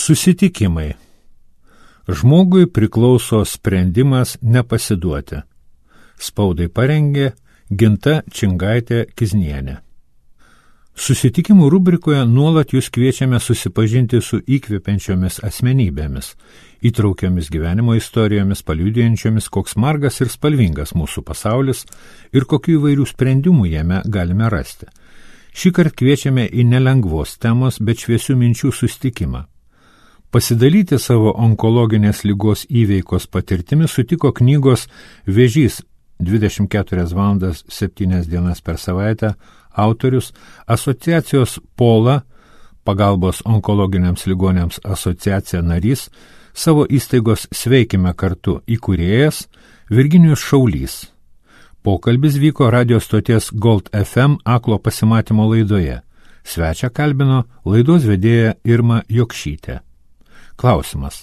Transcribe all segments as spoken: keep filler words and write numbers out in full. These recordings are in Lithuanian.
Susitikimai. Žmogui priklauso sprendimas nepasiduoti. Spaudai parengė Ginta Čingaitė-Kiznienė. Susitikimų rubrikoje nuolat jūs kviečiame susipažinti su įkvepiančiomis asmenybėmis, įtraukiomis gyvenimo istorijomis, paliudijančiomis, koks margas ir spalvingas mūsų pasaulis ir kokių įvairių sprendimų jame galime rasti. Šįkart kviečiame į nelengvos temos, bet šviesių minčių susitikimą. Pasidalyti savo onkologinės ligos įveikos patirtimi sutiko knygos Vėžys dvidešimt keturias valandas septynias dienas per savaitę autorius, asociacijos Pola, pagalbos onkologiniams ligonėms asociacija narys, savo įstaigos Sveikime kartu įkūrėjas Virginijus Šaulys. Pokalbis vyko radio stoties Gold F M aklo pasimatymo laidoje. Svečią kalbino laidos vedėja Irma Jokšytė. Klausimas.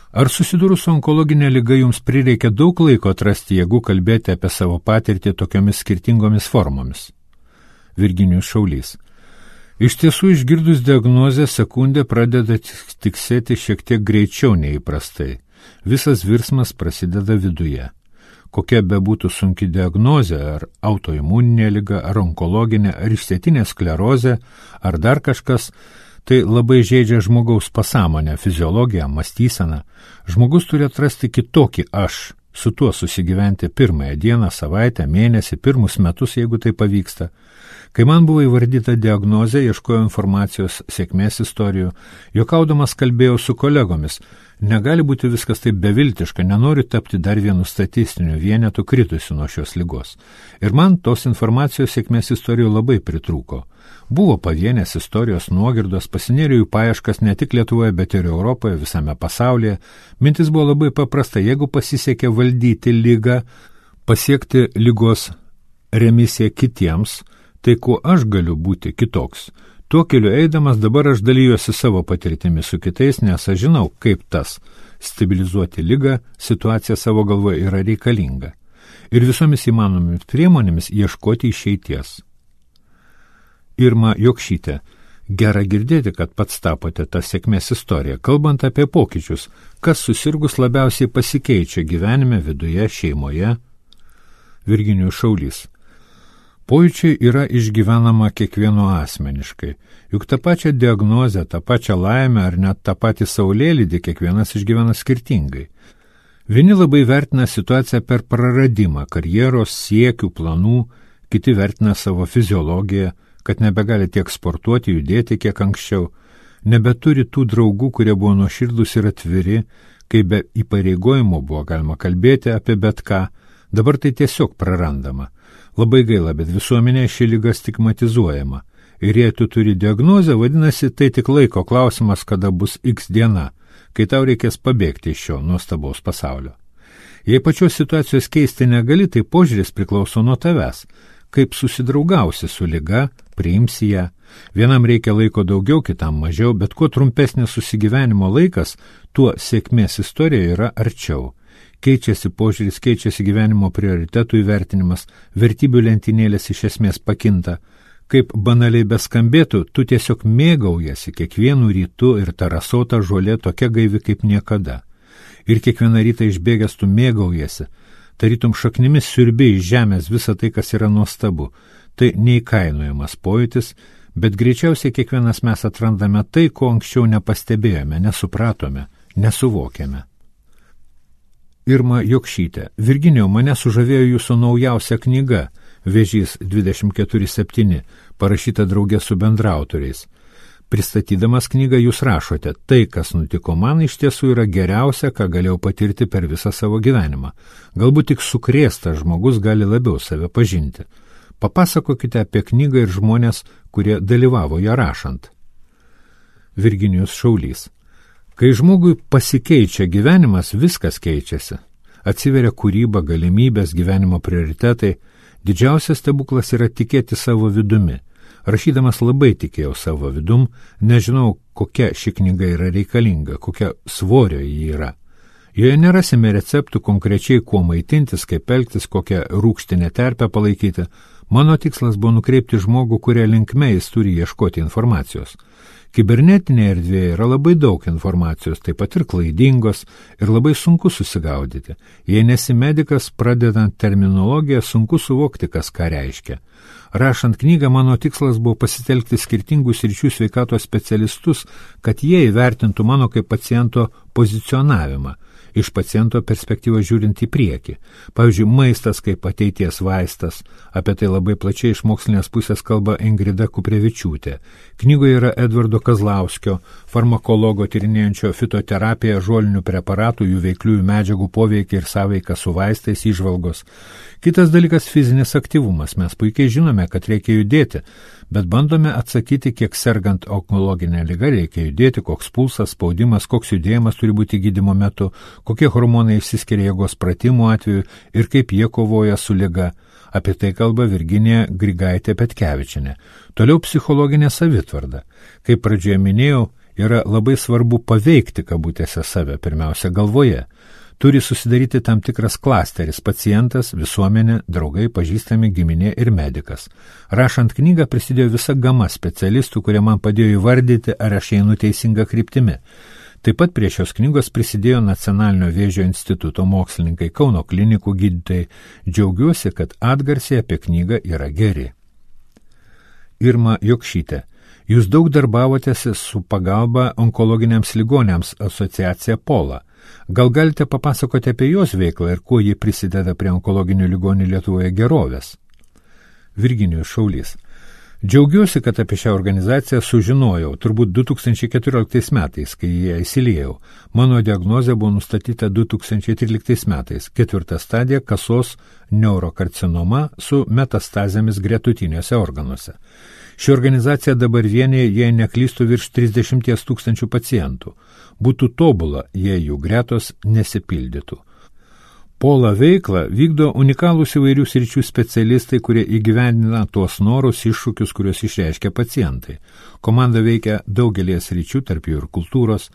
Ar susidūrus su onkologinė liga jums prireikia daug laiko atrasti jėgų kalbėti apie savo patirtį tokiomis skirtingomis formomis? Virginijus Šaulys. Iš tiesų, išgirdus diagnozę, sekundė pradeda tiksėti šiek tiek greičiau nei įprastai. Visas virsmas prasideda viduje. Kokia bebūtų sunki diagnozė, ar autoimuninė liga, ar onkologinė, ar išsėtinė sklerozė, ar dar kažkas, tai labai žeidžia žmogaus pasąmonę, fiziologiją, mąstyseną. Žmogus turi atrasti kitokį aš, su tuo susigyventi pirmąją dieną, savaitę, mėnesį, pirmus metus, jeigu tai pavyksta. Kai man buvo įvardyta diagnozė, ieškojau informacijos, sėkmės istorijų, juokaudamas kalbėjau su kolegomis. Negali būti viskas taip beviltiška, nenoriu tapti dar vienu statistiniu vienetu kritusiu nuo šios ligos. Ir man tos informacijos sėkmės istorijų labai pritrūko. Buvo pavienės istorijos nuogirdos, pasinėriau jų paieškas ne tik Lietuvoje, bet ir Europoje, visame pasaulyje. Mintis buvo labai paprasta, jeigu pasisekė valdyti ligą, pasiekti ligos remisiją kitiems, tai kuo aš galiu būti kitoks? Tuo keliu eidamas dabar aš dalyjuosi savo patirtimi su kitais, nes aš žinau, kaip tas stabilizuoti ligą, situacija savo galvoje yra reikalinga. Ir visomis įmanomis priemonėmis ieškoti išeities. Irma Jokšytė. Gera girdėti, kad pats tapote tą sėkmės istoriją. Kalbant apie pokyčius, kas susirgus labiausiai pasikeičia gyvenime, viduje, šeimoje? Virginijus Šaulys. Pojūčiai yra išgyvenama kiekvieno asmeniškai. Juk tą pačią diagnozę, tą pačią laimę ar net tą patį saulėlydį kiekvienas išgyvena skirtingai. Vieni labai vertina situaciją per praradimą, karjeros, siekių, planų, kiti vertina savo fiziologiją, kad nebegali tiek sportuoti, judėti kiek anksčiau, nebeturi tų draugų, kurie buvo nuoširdūs ir atviri, kai be įpareigojimo buvo galima kalbėti apie bet ką, dabar tai tiesiog prarandama. Labai gaila, bet visuomenė ši liga stigmatizuojama. Ir jei tu turi diagnozę, vadinasi, tai tik laiko klausimas, kada bus X diena, kai tau reikės pabėgti iš šio nuostabaus pasaulio. Jei pačios situacijos keisti negali, tai požiūris priklauso nuo tavęs. Kaip susidraugausi su liga, priimsi ją. Vienam reikia laiko daugiau, kitam mažiau, bet kuo trumpesnis susigyvenimo laikas, tuo sėkmės istorija yra arčiau. Keičiasi požiūris, keičiasi gyvenimo prioritetų įvertinimas, vertybių lentynėlės iš esmės pakinta. Kaip banaliai beskambėtų, tu tiesiog mėgaujasi kiekvienu rytu ir ta rasota žolė tokia gaivi kaip niekada. Ir kiekvieną rytą išbėgęs tu mėgaujasi, tarytum šaknimis siurbi iš žemės visą tai, kas yra nuostabu. Tai neįkainojamas pojūtis, bet greičiausiai kiekvienas mes atrandame tai, ko anksčiau nepastebėjome, nesupratome, nesuvokėme. Irma Jokšytė. Virginijau, mane sužavėjo jūsų naujausia knyga Vėžys dvidešimt keturi septyni, parašyta drauge su bendraautoriais. Pristatydamas knygą jūs rašote, tai, kas nutiko man, iš tiesų yra geriausia, ką galėjau patirti per visą savo gyvenimą. Galbūt tik sukrėstas žmogus gali labiau save pažinti. Papasakokite apie knygą ir žmonės, kurie dalyvavo ją rašant. Virginijus Šaulys. Kai žmogui pasikeičia gyvenimas, viskas keičiasi. Atsiveria kūryba, galimybės, gyvenimo prioritetai. Didžiausias stebuklas yra tikėti savo vidumi. Rašydamas labai tikėjau savo vidum, nežinau, kokia ši knyga yra reikalinga, kokia svorio ji yra. Joje nerasime receptų konkrečiai, kuo maitintis, kaip elgtis, kokią rūgštinę terpę palaikyti. Mano tikslas buvo nukreipti žmogų, kurie linkme jis turi ieškoti informacijos. Kibernetinėje erdvėje yra labai daug informacijos, taip pat ir klaidingos, ir labai sunku susigaudyti. Jei nesi medikas, pradedant terminologiją, sunku suvokti, kas ką reiškia. Rašant knygą, mano tikslas buvo pasitelkti skirtingų sričių sveikatos specialistus, kad jie įvertintų mano kaip paciento pozicionavimą, iš paciento perspektyvos žiūrint į priekį. Pavyzdžiui, maistas kaip ateities vaistas. Apie tai labai plačiai iš mokslinės pusės kalba Ingrida Kuprevičiūtė. Knygoje yra Edvardo Kazlauskio, farmakologo tyrinėjančio fitoterapiją, žolinių preparatų, jų veikliųjų medžiagų poveikį ir sąveiką su vaistais įžvalgos. Kitas dalykas – fizinis aktyvumas. Mes puikiai žinome, kad reikia judėti, bet bandome atsakyti, kiek sergant onkologinę ligą reikia judėti, koks pulsas, spaudimas, koks judėjimas turi būti gydymo metu, kokie hormonai išsiskiria jėgos pratimų atveju ir kaip jie kovoja su liga. Apie tai kalba Virginija Grigaitė-Petkevičienė. Toliau psichologinė savitvarda. Kaip pradžioje minėjau, yra labai svarbu paveikti kabutėse save, pirmiausia galvoje. Turi susidaryti tam tikras klasteris – pacientas, visuomenė, draugai, pažįstami, giminė ir medikas. Rašant knygą prisidėjo visa gama specialistų, kurie man padėjo įvardyti, ar aš einu teisinga kryptimi. Taip pat prie šios knygos prisidėjo Nacionalinio vėžio instituto mokslininkai, Kauno klinikų gydytojai. Džiaugiuosi, kad atgarsiai apie knygą yra geri. Irma Jokšytė. Jūs daug darbavotės su pagalba onkologiniams ligoniams asociacija Pola. Gal galite papasakoti apie jos veiklą ir kuo ji prisideda prie onkologinių ligonių Lietuvoje gerovės? Virginijus Šaulys. Džiaugiuosi, kad apie šią organizaciją sužinojau, turbūt du tūkstančiai keturioliktais metais, kai ją įsiliejau. Mano diagnozė buvo nustatyta du tūkstančiai tryliktais metais, ketvirta stadija kasos neurokarcinoma su metastazėmis gretutiniuose organuose. Ši organizacija dabar vienyje, jei neklystų, virš trisdešimt tūkstančių pacientų. Būtų tobula, jei jų gretos nesipildytų. Pola veiklą vykdo unikalūs įvairių sričių specialistai, kurie įgyvendina tuos norus, iššūkius, kuriuos išreiškia pacientai. Komanda veikia daugelį sričių, tarp jų ir kultūros.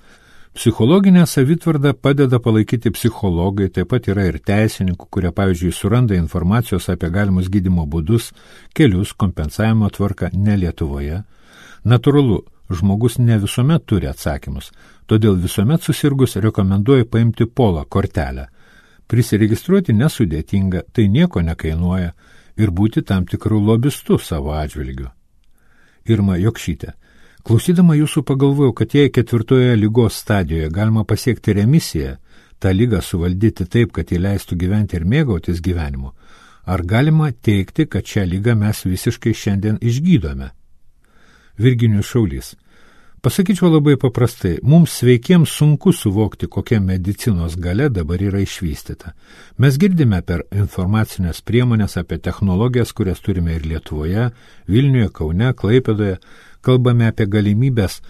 Psichologinę savitvardą padeda palaikyti psichologai, taip pat yra ir teisininkų, kurie, pavyzdžiui, suranda informacijos apie galimus gydymo būdus, kelius, kompensavimo tvarką ne Lietuvoje. Natūralu, žmogus ne visuomet turi atsakymus, todėl visuomet susirgus rekomenduoju paimti Pola kortelę. Prisiregistruoti nesudėtinga, tai nieko nekainuoja ir būti tam tikrų lobistų savo atžvilgiu. Irma Jokšytė. Klausydama jūsų pagalvojau, kad jei ketvirtoje ligos stadijoje galima pasiekti remisiją, tą ligą suvaldyti taip, kad jį leistų gyventi ir mėgautis gyvenimu, ar galima teikti, kad šią ligą mes visiškai šiandien išgydome? Virginijus Šaulys. Pasakyčiau labai paprastai, mums sveikiems sunku suvokti, kokia medicinos galia dabar yra išvystyta. Mes girdime per informacinės priemonės apie technologijas, kurias turime ir Lietuvoje, Vilniuje, Kaune, Klaipėdoje, kalbame apie galimybės,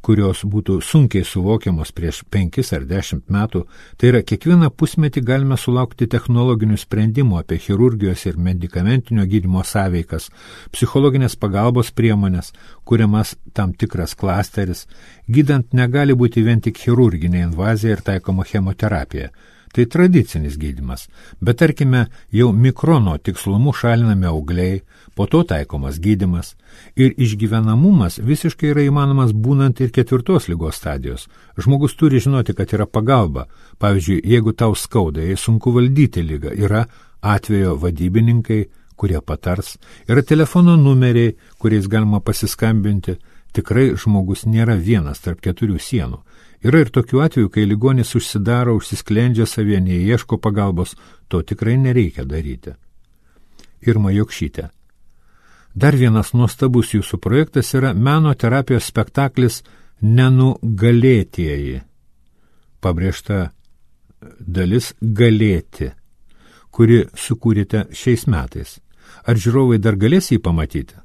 kurios būtų sunkiai suvokiamos prieš penkis ar dešimt metų, tai yra kiekvieną pusmetį galime sulaukti technologinių sprendimų apie chirurgijos ir medikamentinio gydymo sąveikas, psichologinės pagalbos priemonės, kuriamas tam tikras klasteris, gydant negali būti vien tik chirurginė invazija ir taikoma chemoterapija. Tai tradicinis gydymas, bet tarkime jau mikrono tikslumu šalinami augliai, po to taikomas gydymas ir išgyvenamumas visiškai yra įmanomas būnant ir ketvirtos ligos stadijos. Žmogus turi žinoti, kad yra pagalba. Pavyzdžiui, jeigu tau skauda, jei sunku valdyti ligą, yra atvejo vadybininkai, kurie patars, yra telefono numeriai, kuriais galima pasiskambinti. Tikrai žmogus nėra vienas tarp keturių sienų. Yra ir tokių atvejų, kai ligonis užsidaro, užsisklendžia savyje, neieško pagalbos, to tikrai nereikia daryti. Irma Jokšytė. Dar vienas nuostabus jūsų projektas yra meno terapijos spektaklis Nenugalėtieji. Pabrėžta dalis galėti, kuri sukūrėte šiais metais. Ar žiūrovai dar galės jį pamatyti?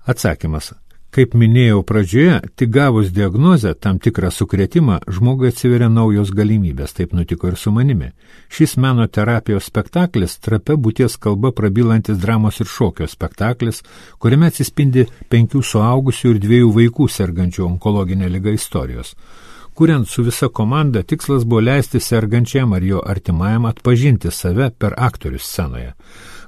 Atsakymas. Kaip minėjau pradžioje, tik gavus diagnozę, tam tikrą sukrėtimą, žmogui atsiveria naujos galimybės, taip nutiko ir su manimi. Šis meno terapijos spektaklis trapia būties kalba prabylantis dramos ir šokio spektaklis, kuriame atsispindi penkių suaugusių ir dviejų vaikų sergančių onkologinę ligą istorijos. Kuriant su visa komanda, tikslas buvo leisti sergančiam ar jo artimajam atpažinti save per aktorius scenoje.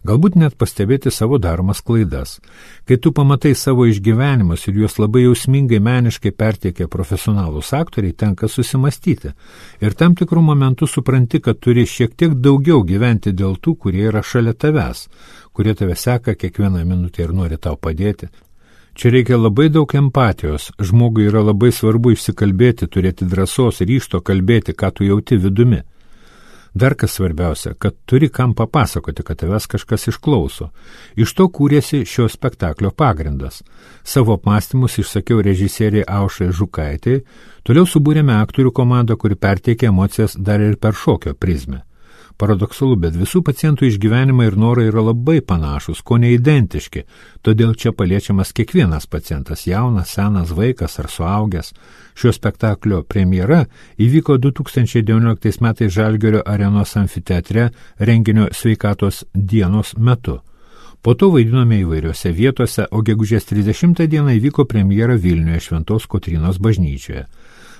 galbūt net pastebėti savo daromas klaidas. Kai tu pamatai savo išgyvenimus ir juos labai jausmingai meniškai perteikia profesionalūs aktoriai, tenka susimastyti. Ir tam tikrų momentų supranti, kad turi šiek tiek daugiau gyventi dėl tų, kurie yra šalia tavęs, kurie tave seka kiekvieną minutę ir nori tau padėti. Čia reikia labai daug empatijos, žmogui yra labai svarbu išsikalbėti, turėti drąsos, ryžto kalbėti, ką tu jauti vidumi. Dar kas svarbiausia, kad turi kam papasakoti, kad tavęs kažkas išklauso. Iš to kūrėsi šio spektaklio pagrindas. Savo apmąstymus išsakiau režisieriai Aušrai Žukaitei, toliau subūrėme aktorių komandą, kuri perteikė emocijas dar ir per šokio prizmę. Paradoksalu, bet visų pacientų išgyvenimai ir norai yra labai panašus, ko neidentiški, todėl čia paliečiamas kiekvienas pacientas, jaunas, senas, vaikas ar suaugęs. Šio spektaklio premjera įvyko du tūkstančiai devynioliktais metais Žalgirio arenos amfiteatre renginio sveikatos dienos metu. Po to vaidinome įvairiose vietose, o gegužės trisdešimtą dieną įvyko premjera Vilniuje Šventos Kotrynos bažnyčioje.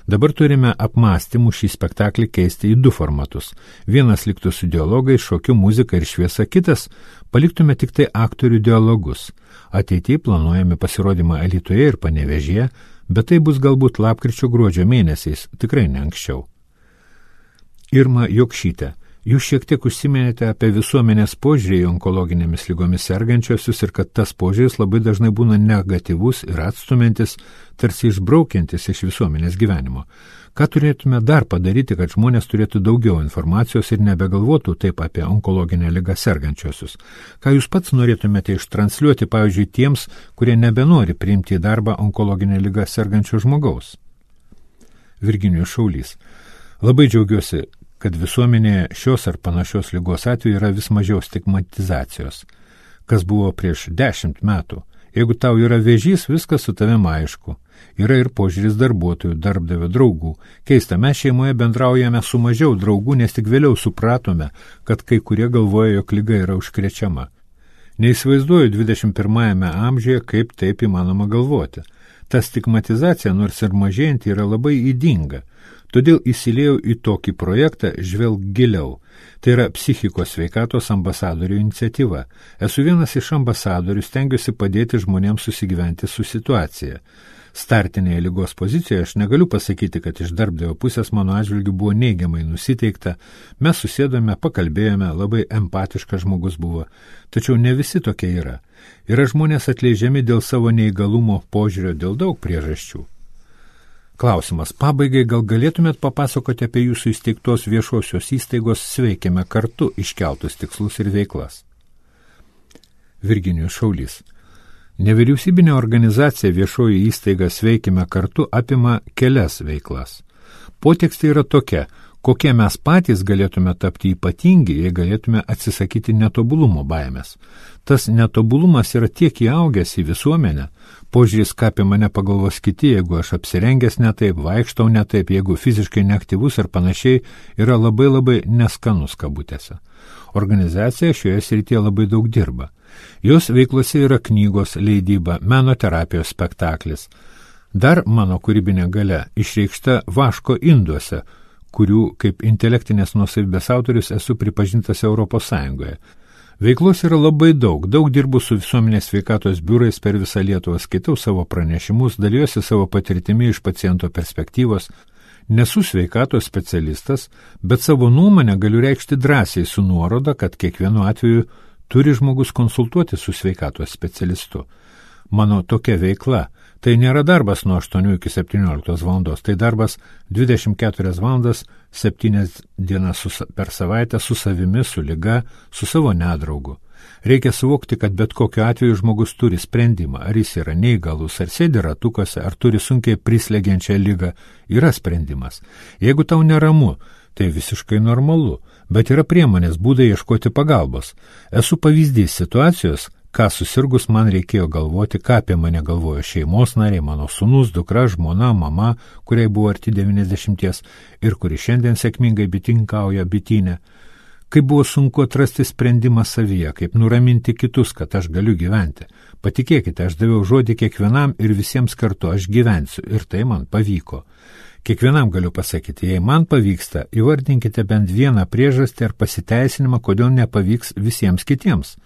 Dabar turime apmąstymų šį spektaklį keisti į du formatus. Vienas liktų su dialogais, šokiu, muzika ir šviesa, kitas paliktume tik tai aktorių dialogus. Ateityje planuojame pasirodymą Alytuje ir Panevėžyje, bet tai bus galbūt lapkričio gruodžio mėnesiais, tikrai ne anksčiau. Irma Jokšytė, jūs šiek tiek užsiminėte apie visuomenės požiūrį į onkologinėmis lygomis sergančiosius ir kad tas požiūris labai dažnai būna negatyvus ir atstumiantis, tarsi išbraukiantis iš visuomenės gyvenimo. Ką turėtume dar padaryti, kad žmonės turėtų daugiau informacijos ir nebegalvotų taip apie onkologinę ligą sergančiosius? Ką jūs pats norėtumėte ištransliuoti, pavyzdžiui, tiems, kurie nebenori priimti į darbą onkologinę ligą sergančio žmogaus? Virginijus Šaulys. Labai džiaugiuosi, kad visuomenėje šios ar panašios ligos atveju yra vis mažiau stigmatizacijos. Kas buvo prieš dešimt metų? Jeigu tau yra vėžys, viskas su tavim aišku. Yra ir požiūris darbuotojų, darbdavio, draugų. Keista, mes šeimoje bendraujame su mažiau draugų, nes tik vėliau supratome, kad kai kurie galvoja, jog liga yra užkrečiama. Neįsivaizduoju dvidešimt pirmajame amžiuje, kaip taip įmanoma galvoti. Ta stigmatizacija, nors ir mažėjanti, yra labai ydinga. Todėl įsiliejau į tokį projektą Žvelk giliau. Tai yra psichikos sveikatos ambasadorių iniciatyva. Esu vienas iš ambasadorių, stengiuosi padėti žmonėms susigyventi su situacija. Startinėje ligos pozicijoje aš negaliu pasakyti, kad iš darbdavio pusės mano atžvilgiu buvo neigiamai nusiteikta. Mes susėdome, pakalbėjome, labai empatiškas žmogus buvo. Tačiau ne visi tokie yra. Yra žmonės atleidžiami dėl savo neįgalumo požiūrio, dėl daug priežasčių. Klausimas. Pabaigai gal galėtumėt papasakoti apie jūsų įsteigtos viešosios įstaigos Sveikime kartu iškeltus tikslus ir veiklas? Virginijus Šaulys. Nevyriausybinė organizacija viešoji įstaiga Sveikime kartu apima kelias veiklas. Potekstė yra tokia, kokie mes patys galėtume tapti ypatingi, jei galėtume atsisakyti netobulumo baimės. Tas netobulumas yra tiek įaugęs į visuomenę, požiūris, ką apie mane pagalvos kiti, jeigu aš apsirengęs ne taip, vaikštau ne taip, jeigu fiziškai neaktyvus ir panašiai, yra labai labai neskanus kabutėse. Organizacija šioje srityje labai daug dirba. Jos veiklose yra knygos, leidyba, meno terapijos spektaklis. Dar mano kūrybinė galia išreikšta vaško induose, kurių kaip intelektinės nuosavybės autorius esu pripažintas Europos Sąjungoje. Veiklos yra labai daug, daug dirbu su visuomenės sveikatos biurais per visą Lietuvą, skaitau savo pranešimus, daliuosi savo patirtimi iš paciento perspektyvos. Nesu sveikatos specialistas, bet savo nuomonę galiu reikšti drąsiai su nuoroda, kad kiekvienu atveju turi žmogus konsultuoti su sveikatos specialistu. Mano tokia veikla. Tai nėra darbas nuo aštuonių iki septynioliktos valandos, tai darbas dvidešimt keturias valandas, septynias dienas su, per savaitę su savimi, su liga, su savo nedraugu. Reikia suvokti, kad bet kokiu atveju žmogus turi sprendimą, ar jis yra neįgalus, ar sėdi ratukuose, ar turi sunkiai prislegiančią ligą, yra sprendimas. Jeigu tau neramu, tai visiškai normalu, bet yra priemonės būdai ieškoti pagalbos. Esu pavyzdys situacijos, ką susirgus man reikėjo galvoti, ką apie mane galvojo šeimos nariai, mano sūnus, dukra, žmona, mama, kuriai buvo arti devyniasdešimties ir kuri šiandien sėkmingai bitininkauja bityne. Kaip buvo sunku atrasti sprendimą savyje, kaip nuraminti kitus, kad aš galiu gyventi. Patikėkite, aš daviau žodį kiekvienam ir visiems kartu aš gyvensiu ir tai man pavyko. Kiekvienam galiu pasakyti, jei man pavyksta, įvardinkite bent vieną priežastį ar pasiteisinimą, kodėl nepavyks visiems kitiems.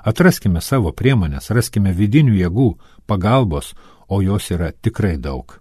Atraskime savo priemonės, raskime vidinių jėgų, pagalbos, o jos yra tikrai daug.